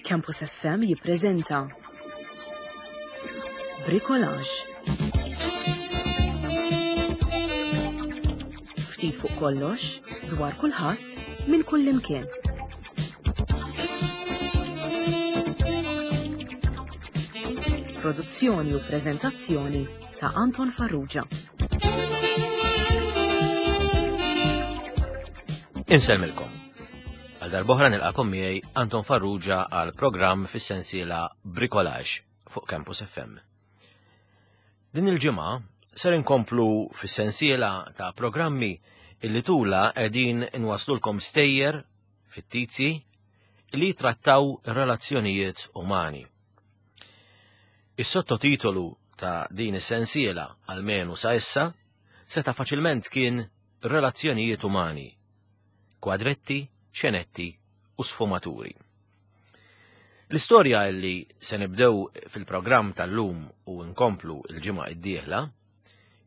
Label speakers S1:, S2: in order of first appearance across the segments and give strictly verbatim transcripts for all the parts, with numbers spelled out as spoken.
S1: Campus F M jippreżenta Bricolage. Ftit fuq kollox, dwar kulħadd, minn kullimkien. Produzzjoni u preżentazzjoni ta' Anton Farrugia.
S2: Insellmilkom. Għal darb'oħra nilqakom miegħi Anton Farrugia għal programm fis-sensiela Bricolage fuq Campus F M. Din il-ġimgħa ser inkomplu fis-sensiela ta' programmi illi tula qegħdin inwaslulkom stejjer fittizji li trattaw relazzjonijiet umani. Is-sottotitolu ta' din is-sensiela, almenu sa issa, seta' faċilment kien Relazzjonijiet Umani, kwadretti, xenetti u sfumaturi. L-istorja li se nibdew fil-programm tal-lum u nkomplu il-ġimgħa id-dieħla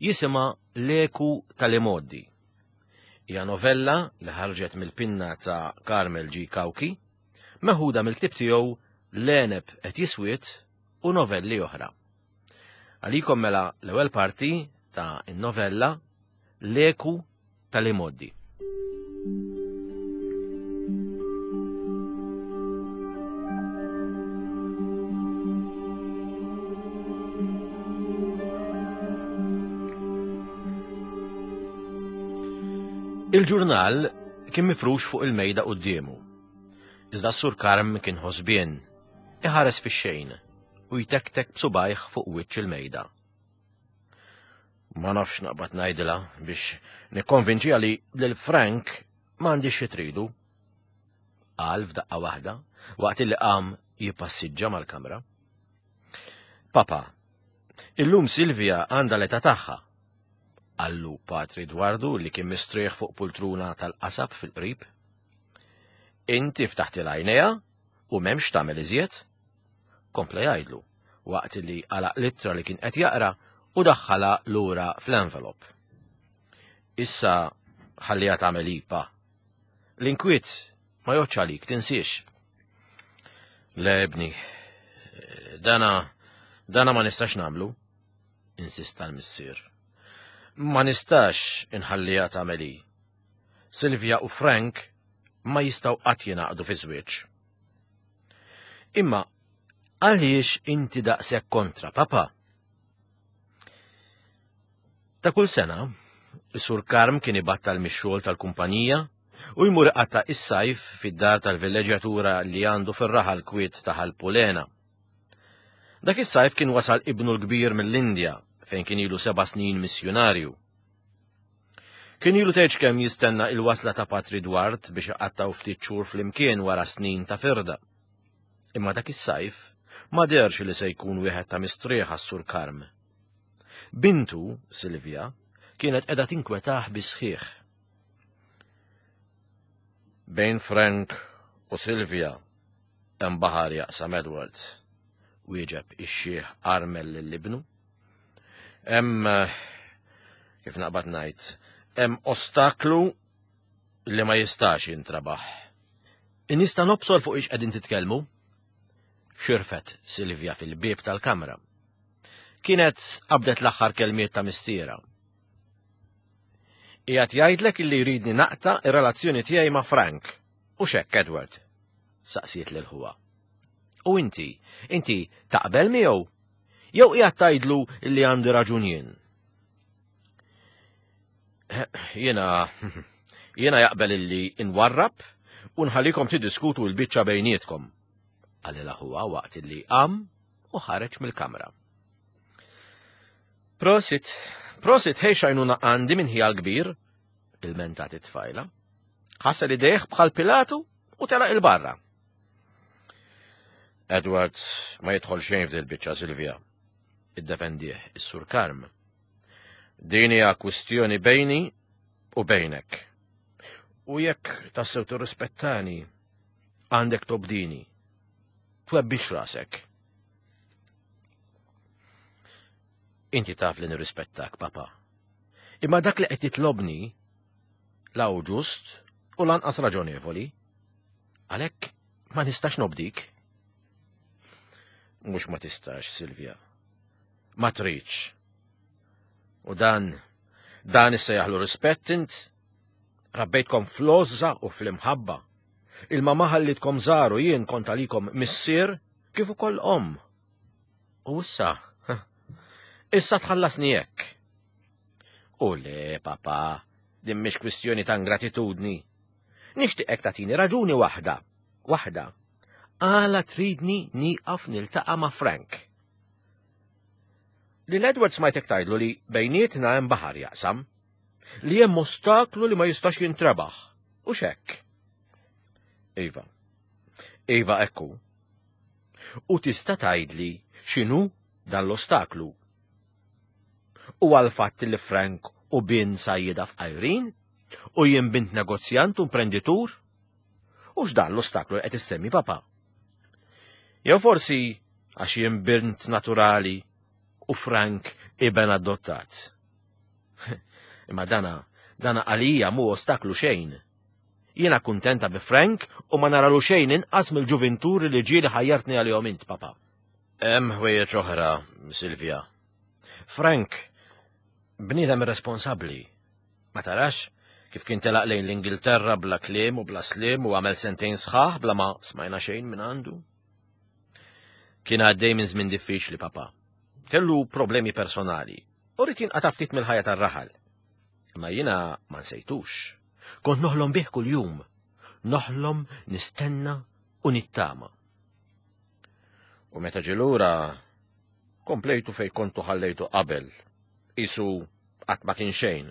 S2: jisimha L-Eku tal-Imgħoddi. Hija novella li ħarġet mill-pinna ta' Carmel G. Cauchi, meħuda mill-ktieb tiegħu L-Għeneb qed jiswied u novelli oħra. Għalikom mela l-ewwel parti ta' novella L-Eku tal-Imgħoddi. Il-ġurnal kien mifrux fuq il-mejda quddiemu. Iżda s-Sur Karm kien ħosbien, iħares fix-xejn u jtektek b'subajh fuq wiċċ il-mejda. Ma nafx naqbad ngħidilha biex nikkonvinċiha li lil Frank m'għandix xi tridu. Qal f'daqqa waħda waqt li qam jippassiġġa mal-kamra. Papa, illum Silvia għandha l-età tagħha, qallu Patri Dwardu li kien mistrieħ fuq pultruna tal-qasab fil-qrib. Inti ftaħti l-għajnejha u m'hemmx tagħmel iżjed. Kompla jgħidlu waqt li għalaq l-ittra li kien qed jaqra u daħħala lura fl-envelop. Issa ħalliha tagħmel ipa. L-inkwiet ma jgħoddx għalik, tinsiex. Le, ibni, dana, dana ma nistax nagħmlu, insista l-missier. Ma nistax inħalliha tagħmel hi. Silvia u Frank ma jistgħu qatt jingħaqdu fi żwieġ. Imma għaliex inti daqshekk kontra, papa? Ta' kull sena, is-Sur Karm kien ibattal mix-xogħol tal-kumpanija u jmur iqatta' is-sajf fid-dar tal-villeġġjatura li għandu fir-raħal kwiet ta' Ħal Pulena. Dak is-sajf kien wasal ibnu l-kbir mill-Indja fejn kien ilu seba' snin missjunarju. Kien ilu tgħidx kemm jistenna il-wasla ta' Patri Dward biex iqattgħu ftit xhur flimkien wara snin ta' firda. Imma dak is-sajf ma deherx li se jkun wieħed ta' mistrieħ għas-Sur Karm. Bintu, Silvia, kienet qiegħda tinkwetah bisħiħ. Bejn Frank u Silvia hemm baħar jaqsam, Edward, wieġeb ix-xiħ armel lil ibnu. Hemm, kif naqbad ngħid, hemm ostaklu li ma jistax jintrabaħ. Nista' nobsor fuq ix qegħdin titkellmu? Xirfet Silvia fil-bieb tal-kamra. Kienet qabdet l-aħħar kelmiet ta' missierha. Qiegħed jgħidlek illi jridni naqta' ir-relazzjoni tiegħi ma' Frank. U x'hekk, Edward? Saqsiet lil ħuha. U inti, inti taqbel miegħu? Jew qiegħed tgħidlu illi għandi raġun jien? Jiena jiena jaqbel illi inwarrab u nħallikom tiddiskutu l-biċċa bejnietkom, qalilha ħuha waqt illi qam u ħareġ mill-kamra. Prosit, prosit, ħej xajnuna għandi minn ħija l-kbir, ilmentat it-tfajla. Ħasel idejh bħal Pilatu u telaq il-barra. Edward ma jidħol xejn f'dil biċċa, Silvia, iddefendih is-Sur Karm. Din hija kwistjoni bejni u bejnek. U jekk tassew tirrispettani, għandek tobdini. Twebbix rasek. Inti taf li nirrispettak, papa. Imma dak li qed titlobni la hu ġust u lanqas raġonevoli. Għalhekk ma nistax nobdik. Mhux ma tistax, Silvia. Ma tridx. U dan, dan issejjaħlu rispett int? Rabbejtkom fl-għożża u fl-imħabba. Il-mama ħallitkom żgħar u jien kont għalikom missier kif ukoll omm. U issa, issa tħallasni hekk. U le, papa, din mhix kwistjoni ta' ingratitudni. Nixtieqek tagħtini raġuni waħda, waħda. Għala tridni nieqaf niltaqa' ma' Frank. Lil Edward smajtek tgħidlu li bejnietna hemm baħar jaqsam, li hemm ostaklu li ma jistax jintrebaħ. U x'hekk? Iva. Iva ekku. U tista' tgħidli x'inhu dan l-ostaklu? U għal-fatt li Frank hu bin sajjieda fqajrin u jien bint negozjant u imprenditur? U x'dan l-ostaklu li qed issemmi papa? Jew forsi għax jien bint naturali u Frank iben adottat. Imma dana, dana għalija mhu ostaklu xejn. Jiena kuntenta bi Frank u ma naralu xejn inqas mill-ġuvinturi li ġieli ħajjartni għalihom int, papa. Hemm ħwejjeġ oħra, Silvia. Frank bniedem irresponsabbli. Ma tarax kif kien telaq lejn l-Ingilterra bla kliem u bla sliem u għamel sentejn sħaħ bla ma smajna xejn minn għandu? Kien għaddej minn żmien diffiċli, papa. Kellu problemi personali u ried jinqata' ftit mill-ħajja tar-raħal. Imma jiena ma nsejtux. Kont noħlom bih kuljum. Noħlom, nistenna u nittama. U meta ġie lura, komplejtu fej kontu ħallejtu qabel. Isu qatt ma kien xejn.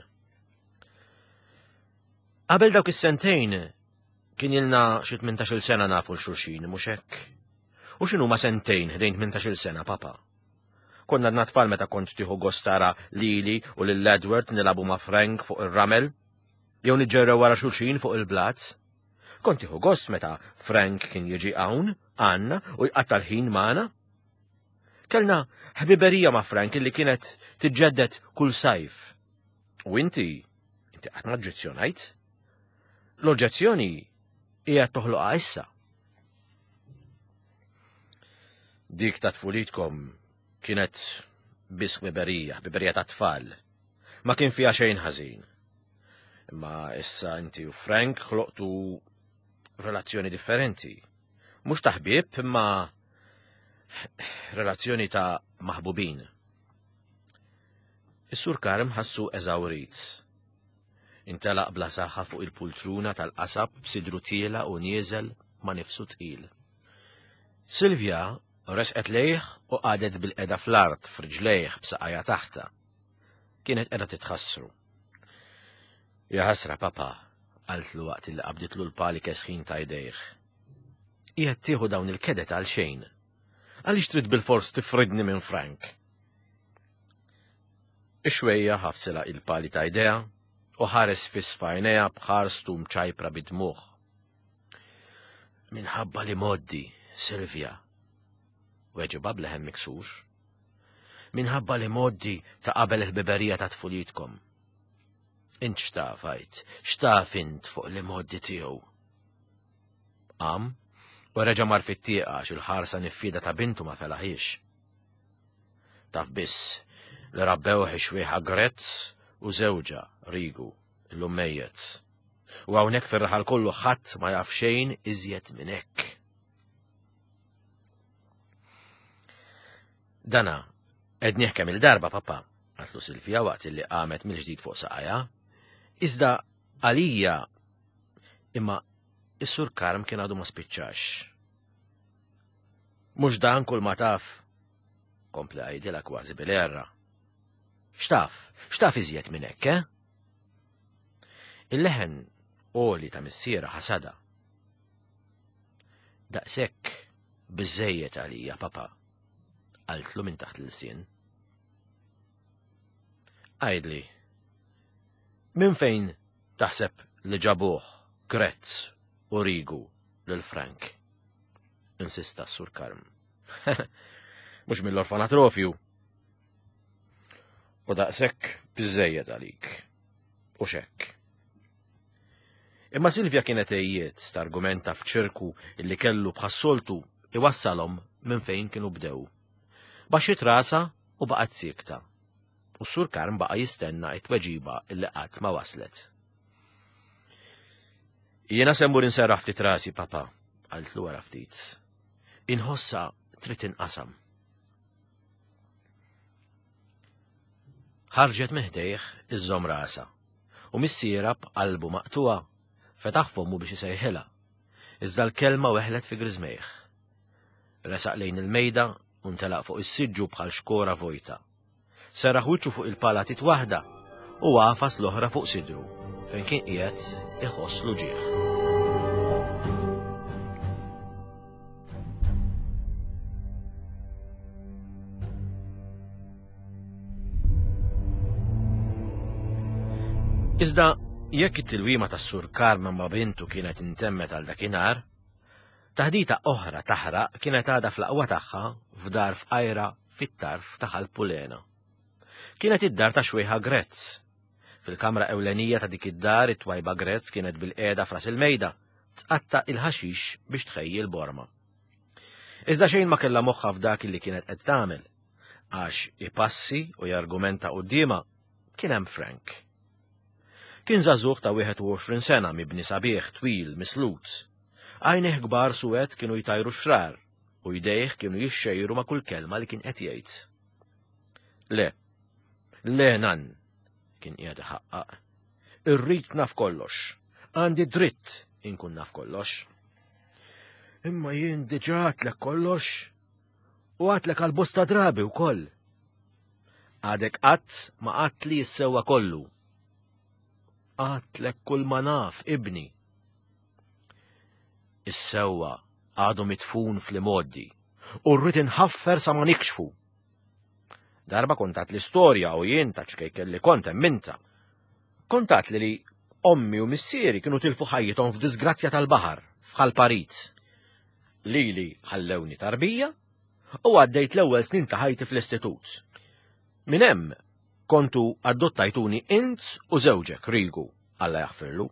S2: Qabel dawk is-sentejn kien ilna xi tmintax-il sena nafu 'l xulxin, mhux hekk? U x'inhuma sentejn ħdejn tmintax-il sena, papa? Konna għadna tfal meta kont tieħu gost tara lili u lil Edward nilagħbu ma' Frank fuq ir-ramel, jew niġġerrew wara xulxin fuq il-blat. Kont tieħu gost meta Frank kien jiġi hawn, għandna, u jqatta' l-ħin magħna. Kellna ħbiberija ma' Frank illi kienet tiġġedded kull sajf. U inti, inti qatt ma oġġezzjonajt? L-oġġezzjoni hija toħloqha issa. Dik ta' tfulitkom kienet biss ħbiberija, ħbiberija ta' tfal. Ma kien fiha xejn ħażin. Imma issa inti u Frank ħloqtu relazzjoni differenti. Mhux ta' ħbieb, imma relazzjoni ta' maħbubin. Is-Sur Karm ħassu eżawrit. Intelaq bla saħħa fuq il-pultruna tal-qasab b'sidru tiela u nieżel ma' nifsu tqil. Silvia resqet lejh u qagħdet bil-qeda fl-art f'riġlejh b'saqajha taħta. Kienet qiegħda titħassru. Ja ħasra, papa, qaltlu waqt li qabditlu l-pali kesħin ta' jdejh. Qiegħed tieħu dawn il-kedet għal xejn. Għaliex trid bil-fors tifridni minn Frank? Ix-xwejja ħafsila il-pali ta' jdejha u ħares fiss f'għajnejha b'ħarstu mċajpra bid-dmugħ. Minħabba li moddi, Silvia, weġibha b'leħen miksur. Minħabba li moddi ta' qabel il-ħbiberija ta' tfulitkom. Int x'taf, għid, x'taf int fuq li moddi tiegħu? Qam u reġa' mar fit-tieqa għax il-ħarsa niffieda ta' bintu ma felaħiex. Taf biss li rabbewh ix-xwieħa Grezz u żewġha Rigu, illum mejjet. U hawnhekk fir-raħal kollu ħadd ma jaf xejn iżjed minn hekk. Dana, għednieh kemm il-darba, papa, qaltlu Silvia waqt li qamet mill-ġdid fuq saqajha. Iżda għalija, imma is-Sur Karm kien għadu ma spiċċax. Mhux dan kull ma taf, kompli għajdilha kważi bil-erra. X'taf, x'taf iżjed minn hekk, eh? Il-leħen għoli ta' missiera ħasada. Daqshekk biżejjed għalija, papa, qaltlu minn taħt l-ilsien. Għidli, minn fejn taħseb li ġabuh Grezz u Rigu lil Frank? Insista s-Sur Karm. Mhux mill-orfanatrofju. U daqshekk biżejjed għalik. U xekk. Imma Silvia kienet għejjiet targumenta f'ċirku illi kellu bħas-soltu iwassalhom minn fejn kienu bdew. Baxxiet rasha u baqgħet siekta. U s-Sur Karm baqa' jistenna t-tweġiba li qatt ma waslet. Jiena se mmur inserraħ ftit rasi, papa, qaltlu wara ftit. Inħossha trid tinqasam. Ħarġet minn ħdejh iżżomm rasha u missierha b'qalbu maqtuha fetaħ fommu biex isejħilha. Iżda l-kelma weħlet fi griżmejh. Resaq lejn il-mejda u ntelaq fuq is-siġġu bħal xkora vojta. Serraħ wiċċu fuq il-pala titwaħda u għafas l-oħra fuq sidru fejn kien qiegħed iħoss l-uġigħ. Iżda jekk it-tilwima tas-Sur Karm ma' bintu kienet intemmet għal dakinhar, taħdita oħra taħraq kienet għadha fl-aqwa tagħha f'dar fqajra fit-tarf ta' Ħal Pulena. Kienet id-dar ta' Xwejħa Grezz. Fil-kamra ewlenija ta' dik id-dar it-twajba Grezz kienet bil-qiegħda fras il-mejda, tqatta' il-ħaxix biex tħejji l-borma. Iżda xejn ma kellha moħħha f'dak li kienet qed tagħmel, għax ipassi u jargumenta quddiemha kien hemm Frank. Kien żagħżugħ ta' wieħed u għoxrin sena mibni sabiħ, twil, mislut. Għajnejh kbar suwed kienu jtajru xrar u jdejh kienu jixxejru ma' kull kelma li kien qed jgħid. Le, le nan, kien qiegħed iħaqqaq. Irrid naf kollox. Għandi dritt inkun naf kollox. Imma jien diġà għadtlek kollox u għadtlek għal bosta drabi wkoll. Għadek qatt ma għadtli s-sewwa kollu. Għadtlek kull ma naf, ibni. Is-sewwa għadu mitfun fl-imoddi u rrid inħaffer sa ma nikxfu. Darba kont għadt l-istorja u jien ta' ċkejken li kont emminta. Kont għadt li li ommi u missieri kienu tilfu ħajjithom f'disgrazzja tal-baħar f'Ħal Parit. Lili ħallewni tarbija u għaddejt l-ewwel snin ta' ħajti fl-istitut. Minn hemm kontu adottajtuni int u żewġek Rigu, Alla jaħfirlu,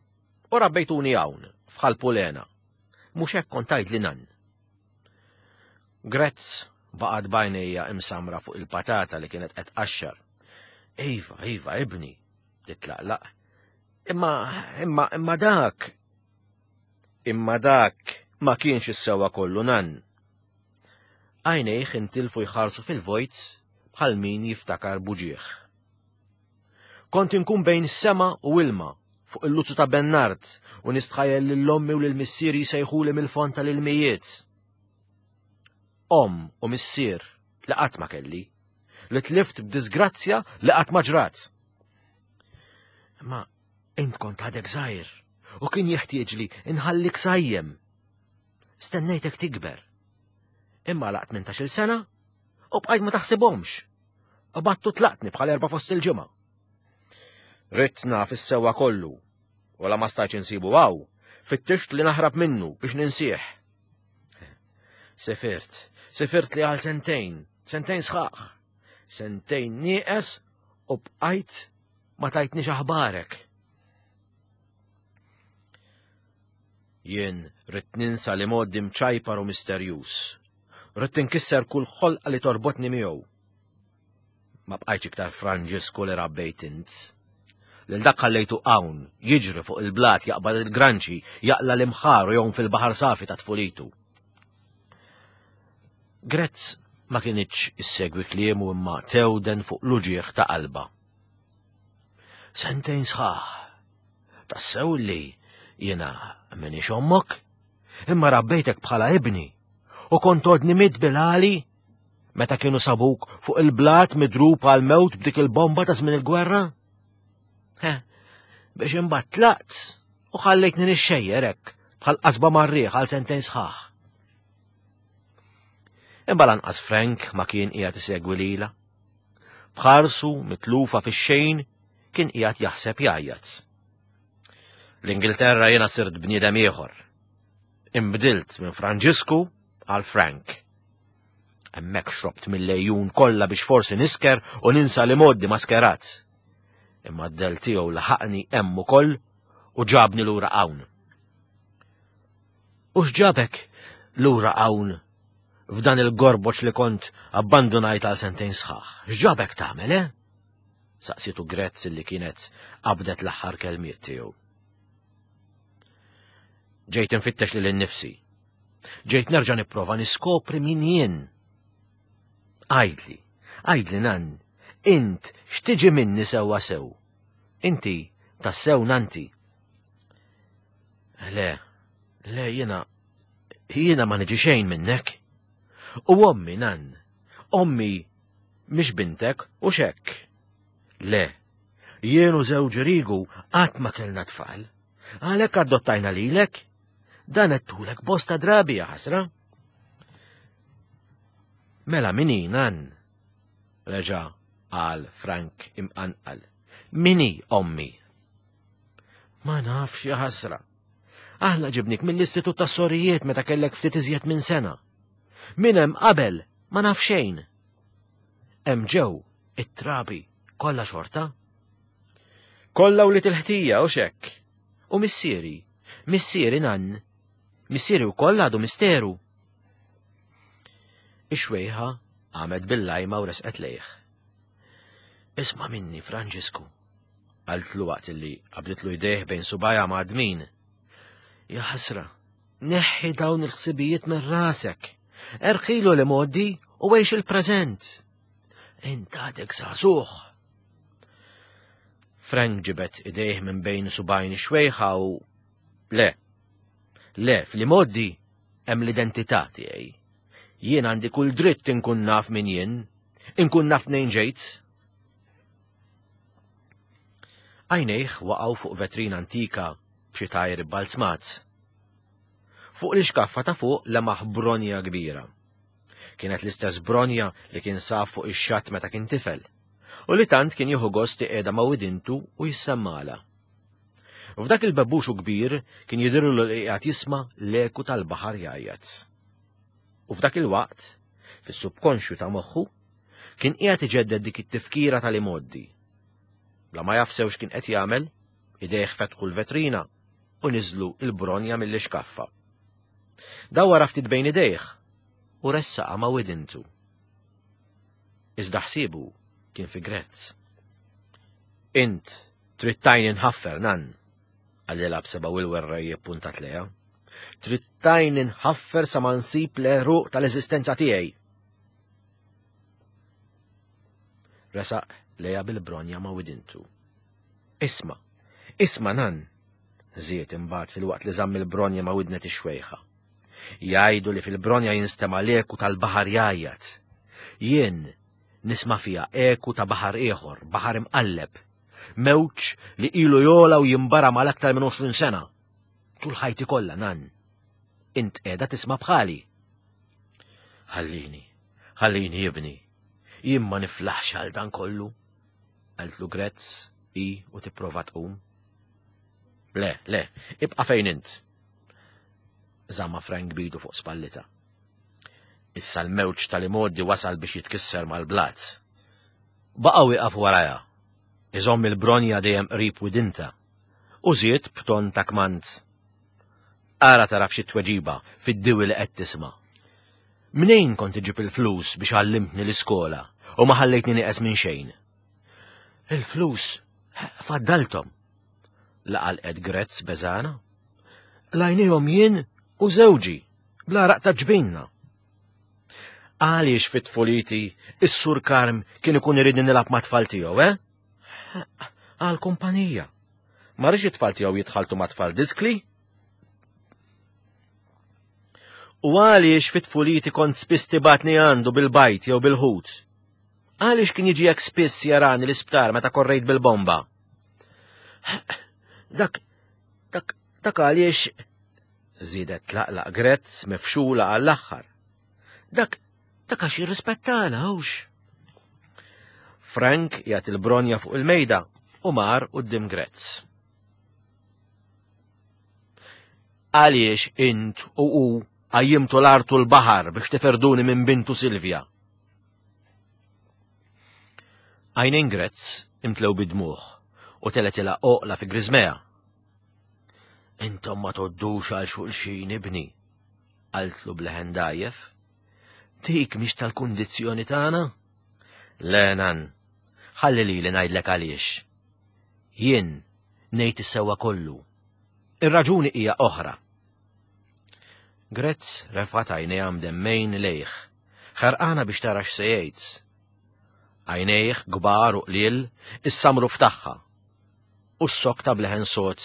S2: u rabbejtuni hawn f'Ħal Pulena. Mhux hekk kont tgħidli nan. Grezz baqgħet b'għajnejha imsamra fuq il-patata li kienet qed tqaxxar. Iva, iva, ibni, titlaqlaq. Imma, imma, imma dak. Imma dak ma kienx is-sewwa kollu nan. Għajnejh intilfu jħarsu fil-vojt bħal min jiftakar buġieħ. Kont inkun bejn sema u ilma fuq il-luzzu ta' Bennard u nistħajjel lil ommi u lil missieri jsejħuli mill-fond tal-ilmijiet. Omm u missier li qatt ma kelli, li tlift b'disgrazzja li qatt ma ġrat. Imma int kont għadek żgħir u kien jeħtieġli inħallik sajjem. Stennejtek tikber. Imma laqt tmintax-il sena u bqajt ma taħsibhomx. U battu tlaqtni bħal erba' fost il-ġimgħa. Ridt naf is-sewwa kollu, u la ma stajtx insibu hawn, fittixt li naħrab minnu biex ninsih. Sefirt, sefirt li għal sentejn, sentejn sħaħ, sentejn nieqes u bqajt ma tajtniex aħbarek. Jien ridt ninsa li modi mċajpar u misterjuż. Ridt inkisser kull ħolqa li torbotni miegħu. Ma bqajtx iktar Franġisku li rabbejt int. Lil dak ħallejtu hawn, jiġri fuq il-blat, jaqbad il-granċi, jaqla l-imħar u jgħum fil-baħar safi ta' tfulitu. Grezz ma kienitx issegwi kliemu imma tewden fuq l-uġigħ ta' qalba. Sentejn sħaħ, tassew li jiena minix ommok, imma rabbejtek bħala ibni u kont għodni mid bil-għali meta kienu sabuk fuq il-blat midrub għal mewt b'dik il-bomba ta' żmien il-gwerra? He, biex imbagħad tlaqt u ħallejtni nixxejjer hekk bħal qasba mar-riħ għal sentejn sħaħ. Imma lanqas Frank ma kien qiegħed isegwi lilha. B'ħarsu mitlufa fix-xejn kien qiegħed jaħseb jgħajjat. L-Ingilterra jiena sirt bniedem ieħor. Imbdilt minn Franġisku għal Frank. Hemmhekk xrobt mill-lejjun kollha biex forsi nisker u ninsa li moddi maskerat. Imma d-del tiegħu laħaqni hemm ukoll u ġabni lura hawn. U x'ġabek lura hawn f'dan il-gorboċ li kont abbandunajt għal sentejn sħaħ? X'ġabek tagħmel, eh? Saqsitu Grezz li kienet qabdet l-aħħar kelmiet tiegħu. Ġejt infittex lil innifsi. Ġejt nerġa' nipprova niskopri min jien. Għidli, għidli nan, int x'tiġi minni sewwa sew? Inti tassew nanti. Le, le jiena jiena ma niġi xejn minnek. U ommi nan, ommi mhix bintek u xekk. Le, jien u żewġi Rigu qatt ma kellna tfal. Għalhekk adottajna lilek. Dan għedtulek bosta drabi ja ħasra. Mela min hi nan? Reġa' qal Frank imqanqal. Min hi ommi? Ma nafx ja ħasra. Aħna ġibnik mill-Istitut tas-Sorijiet meta kellek ftit iżjed minn sena. Min hemm qabel ma naf xejn. Hemm ġew it-trabi kollha xorta. Kollha wlied il-ħtija u xekk. U missieri, missieri nan, missieri wkoll għadu misteru. Ix-xwejħa qamet bil-lajma u resqet lejh. Isma' minni, Franġisku, qaltlu waqt li qabditlu jdejh bejn subgħajha mgħaddmin. Ja ħasra, neħħi dawn il-ħsibijiet minn rasek. Erħilu l-imgħoddi u għix il-preżent. Int għadek żagħżugħ. Frank ġibed idejh minn bejn subgħajn ix-xwejħa u le, le, fl-imgħoddi hemm l-identità tiegħi. Jien għandi kull dritt inkun naf min jien, inkun naf mnejn ġejt. Għajnejh waqgħu fuq vetrina antika b'xi tajr ibbalzmat. Fuq l-ixkaffa ta' fuq lemaħ bronja kbira. Kienet l-istess bronja li kien saf fuq ix-xatt meta kien tifel, u li tant kien jieħu gost iqiegħda ma' widintu u jissemmala. F'dak il-bebbuxu kbir kien jidhirlu li qiegħed jisma' l-eku tal-baħar jgħajjat. U f'dak il-waqt, fis-subkonxju ta' moħħu, kien qiegħed iġedded dik it-tifkira tal-imgħoddi. Bla ma jaf sew x'kien qed jagħmel, idejh fetħu l-vetrina u niżlu il-bronja mill-ixkaffa. Dawwar ftit bejn idejh u ressaqa ma' widintu. Iżda ħsiebu kien fi Grezz. Int trid tgħinni nħaffer, nan, qalilha b'sebgħu il-werrej ippuntat lejha. Trid tgħinni nħaffer sa ma nsib l-għeruq tal-eżistenza tiegħi. Resaq lejha bil-bronja ma' widintu. Isma', isma' nan, żied imbagħad fil-waqt li żamm il-bronja ma' widnet ix-xwejħa. Jgħidu li fil-bronja jinstema' l-eku tal-baħar jgħajjat. Jien nisma' fiha eku ta' baħar ieħor, baħar imqalleb, mewġ li ilu jola u jimbara mal-aktar minn għoxrin sena. Tul ħajti kollha, nan. Int qiegħda tisma' bħali. Ħallini, ħallini ibni, jien ma niflaħx għal dan kollu, qaltlu Grezz hi u tipprova tqum. Le, le, ibqa' fejn int. Żamma Frank bidu fuq spallita. Issa l-mewġ tal-imgħoddi wasal biex jitkisser mal-blat. Baqa' wieqaf warajha, iżomm il-bronja dejjem qrib widinta, u żied b'ton ta' kmand. Ara taraf xi tweġiba fid-diwi li qed tisma'. Mnejn kont iġib il-flus biex għallimtni l-iskola u ma ħallejtni nieqes minn xejn? Il-flus faddalthom. Laqalqet Grezz beżana. Lajnihom jien u żewġi bla raq ta' ġbinna. Għaliex fit-tfuliti is-Sur Karm kien ikun iridni nilgħab ma' tfal tiegħu, eh? Għal kumpanija. Ma rridx it-tfal tiegħu jitħaltu ma' tfal diskli? U għaliex fit-tfuliti kont spiss tibatni għandu bil-bajt jew bil-ħut? Għaliex kien jiġi hekk spiss jarani l-isptar meta korrejt bil-bomba? Dak, dak, dak għaliex, żiedet tlaqlaq Grezz mifxula għall-aħħar. Dak, dak għax jirrispettana, hux. Frank jagħti il-bronja fuq il-mejda u mar quddiem Grezz. Għaliex int u hu qajjimtu l-art u l-baħar biex tiferduni minn bintu Silvia? Għajnejn Grezz imtlew bid-dmugħ u teletilha oqla fi griżmea. Intom ma toddux għal xulxin ibni, qaltlu bleħen dajjef. Dik mhix tal-kundizzjoni tagħna? Le, nan, ħalli lili ngħidlek għaliex. Jien ngħid is-sewwa kollu. Ir-raġuni hija oħra. Grezz refgħet għajnejha mdemmejn lejh, ħerqana biex tara x'se jgħid. Għajnejh kbar u qliel issamru f'tagħha u s-sokta bleħen sod.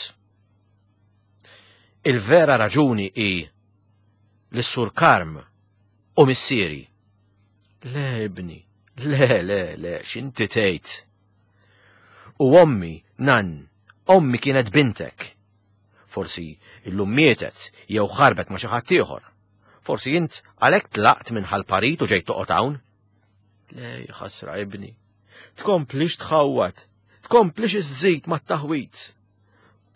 S2: Il-vera raġuni hi li s-Sur Karm u missieri. Le, ibni, le, le, le, x'inti tgħid. U ommi, nan, ommi kienet bintek. Forsi illum mietet jew ħarbet ma' xi ħadd ieħor. Forsi int għalhekk tlaqt minn ħal-parit u ġejt toqgħod hawn. Le, ħasra ibni, tkomplix tħawwad, tkomplix iżżid mat-taħwit.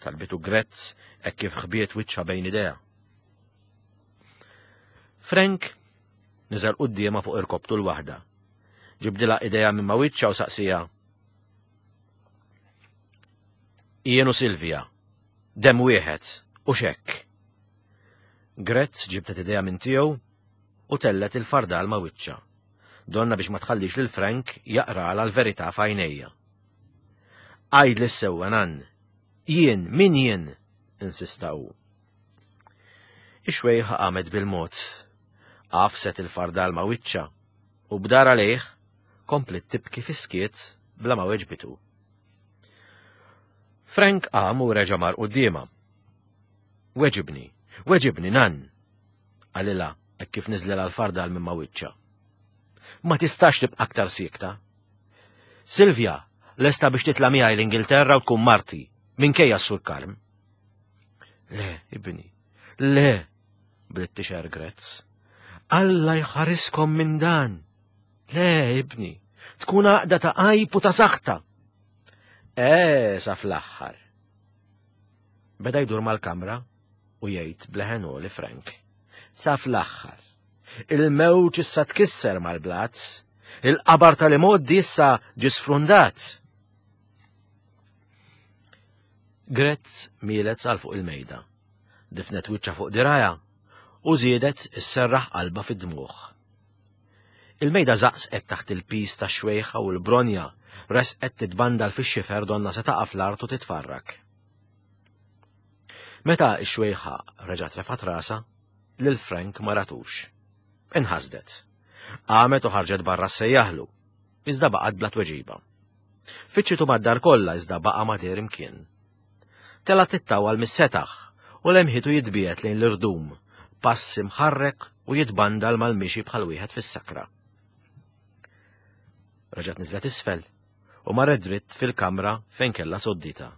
S2: Talbitu Grezz hekk kif ħbiet wiċċha bejn idejha. Frank niżel quddiemha fuq irkobtu l-waħda. Ġibdilha idejha minn ma' wiċċha u saqsija. Jien u Silvia, dem wieħed u xekk. Grezz ġibdet idejha minn tiegħu u tellet il-fardal ma' wiċċha. Donna biex ma tħallix lil Frank jaqralha l-verità f'għajnejja. Għajd li sewwa nan, jien min jien, insista hu. Ix-xwejħa qamet bil-mod, għafset il-fardal ma' wiċċha u b'dara lejh komplet tibki fiskiet bla ma weġbitu. Frank qam u reġa' mar quddiemha. Weġibni, weġibni nan, qalilha hekk kif niżlilha l-fardal minn ma' wiċċha. Ma tistax tibqa' aktar siekta. Silvia, lesta biex titla' miegħi l-Ingilterra u tkun marti, minkejja s-Sur Karm. Le, ibni, le, bdiet tixher Grezz. Alla jħariskom minn dan. Le, ibni, tkun għaqda ta' għajb u ta' saħta. E, sa fl-aħħar. Beda jdur mal-kamra u jgħid bleħen li Frank. Sa fl-aħħar. Il-mewġ issa tkisser mal-blazz, il-qabar tal-imoddi issa ġie sfrundat. Grezz mielet għal fuq il-mejda, difnet wiċċha fuq dirajha u żiedet isserraħ qalbha fid-dmugħ. Il-mejda żaqsqet taħt il-pis tax-xwejħa u l-bronja resqet titbandal fix-xifer donna se taqa' fl-art u titfarrak. Meta x-xwejħa reġgħet refgħet rasha, lil Frank ma ratux. Inħasdet. Qamet u ħarġet barra ssejjaħlu, iżda baqgħet bla tweġiba. Fittxitu mad-dar kollha iżda baqa' ma deher imkien. Telgħet tittawal mis-setaħ u lemħitu jitbiegħed lejn l-irdum, pass imħarrek u jitbandal mal-mixi bħal wieħed fis-sakra. Reġgħet niżlet isfel u marret dritt fil-kamra fejn kellha soddita.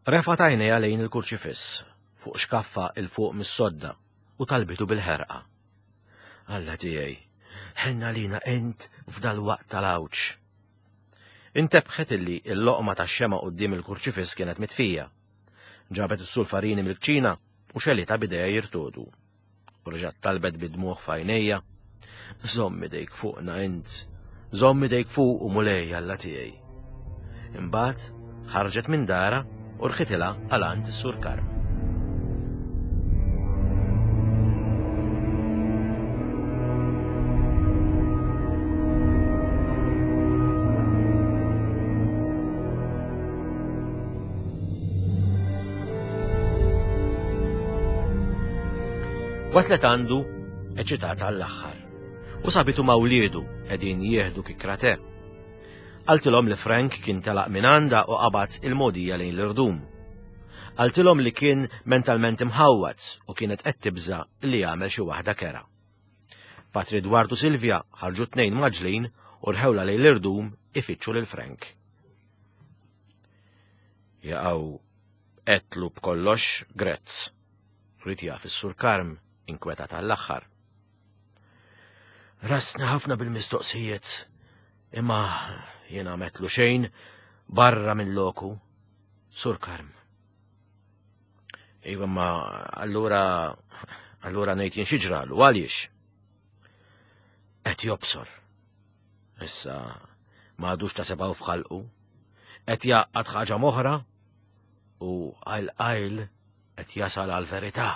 S2: Refgħet għajnejha lejn il-kurċifiss fuq xkaffa il fuq mis-sodda u talbitu bil-ħerqa. Alla tiegħi, ħenna lina int f'dal-waqt tal-għawġ. Intebħet illi l-loqma tax-xema quddiem il-kurċifiss kienet mitfija. Ġabet is-sulfarini mill-kċina u xelitha b'idejha jirtodu. U reġgħet talbet bid-dmugħ f'għajnejha. Żomm idejk fuqna int, żomm idejk fuq u Mulej Alla tiegħi. Imbagħad ħarġet minn dara u rħitilha għal għand is-Sur Karm. Waslet għandu eċitata għall-aħħar u sabitu ma' wliedu qegħdin jieħdu kikra te. Qaltilhom li Frank kien telaq minn għandha u qabad il-mogħdija lejn l-irdum. Qaltilhom li kien mentalment imħawwad u kienet qed tibża' li jagħmel xi waħda kera. Patri Dward u Silvia ħarġu tnejn maġlin u rħewla lejn l-irdum ifittxu lil Frank. Jaqgħu qetlu b'kollox Grezz. Rid jaf is-Sur Karm inkwetat għall-aħħar. Rasna ħafna bil-mistoqsijiet, imma jiena metlu xejn barra minn loku, Sur Karm. Iva, ma allura allura ngħid jien xi ġralu, għaliex? Qed jobsor. Issa ma għadux ta' sebgħu f'ħalqu, qed jaqgħad ħaġa moħra u għajl qajl qed jasal għall-verità.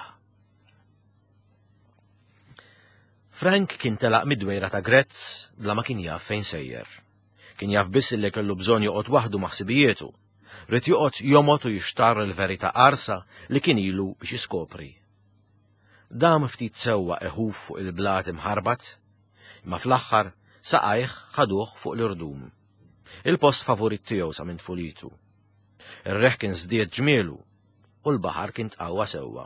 S2: Frank kien telaq mid-dwejra ta' Grezz bla ma kien jaf fejn sejjer. Kien jaf biss li kellu bżonn joqgħod waħdu ma' ħsibijietu. Ried joqgħod jomgħod u jixtarr il-verità qarsa li kien ilu biex jiskopri. Dam ftit sewwa iħuf fuq il-blat imħarbat, imma fl-aħħar saqajh ħaduh fuq l-irdum. Il-post favorit tiegħu sa minn tfulitu. Ir-reħ kien żdied ġmielu u l-baħar kien tqawwa sewwa.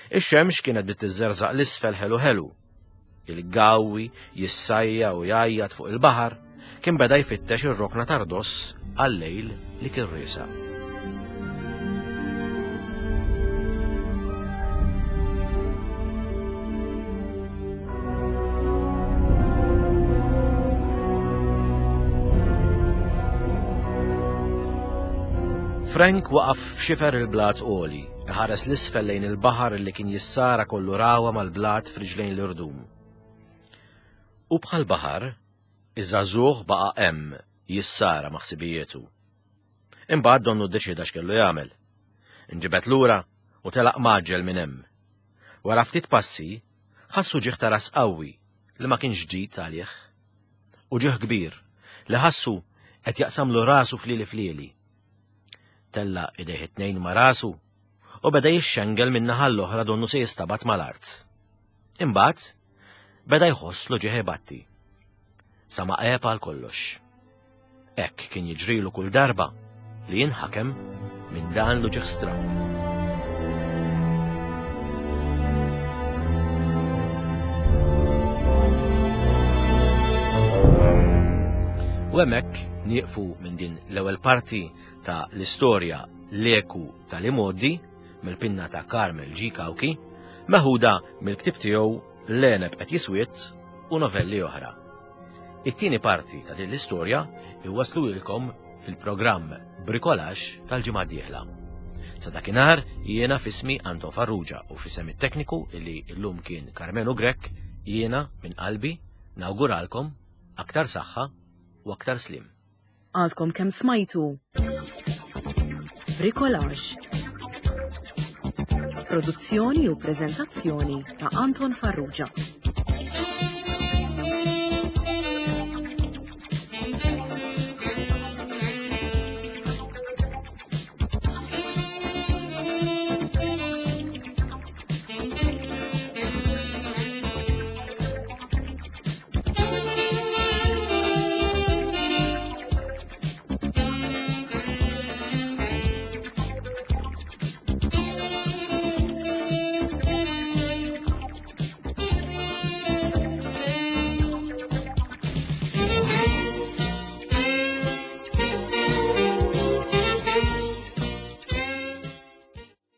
S2: Ix-xemx kienet bdiet tiżżerżaq l-isfel ħelu ħelu. Il-gawwi jissajja u jgħajjat fuq il-baħar kien beda jfittex ir-rokna tardos għal-lejl li kien riesaq. Frank waqaf f'xifer il-blat għoli, iħares l-isfel lejn il-baħar li kien jissara kollu rawa mal-blat f'riġlejn l-irdum. U bħal baħar, iż-żagħżugħ baqa' hemm jissara ma' ħsibijietu. Imbagħad donnu ddeċieda x'kellu jagħmel. Inġibed lura u telaq mgħaġġel minn hemm. Wara ftit passi, ħassu ġieħ ta' ras qawwi li ma kienx ġdid għalih. U ġieħ kbir li ħassu qed jaqsamlu rasu flieli flieli. Tella idejh it-tnejn ma' rasu u beda jixxengel minn naħa l-oħra donnu se jistabat mal-art. Imbagħad beda jħoss l-uġigħ ibatti. Sa ma għeb għal kollox. Hekk kien jiġrilu kull darba li jinħakem minn dan l-uġigħ stramb. U hemmhekk nieqfu minn din l-ewwel parti ta' l-istorja L-Eku tal-Imgħoddi mill-pinna ta' Carmel G. Cauchi, meħuda mill-ktieb tiegħu L-Għeneb qed jiswiet u novelli oħra. It-tieni parti ta' din l-istorja iwasslulkom fil-programm Bricolage tal-ġimgħa d-dieħla. Sa dakinhar jiena f'ismi Anton Farrugia u f'isem it-tekniku li llum kien Carmelo Grech, jiena minn qalbi nawguralkom aktar saħħa u aktar slim.
S1: Għadkom kemm smajtu Bricolage. Produzzjoni u preżentazzjoni ta' Anton Farrugia.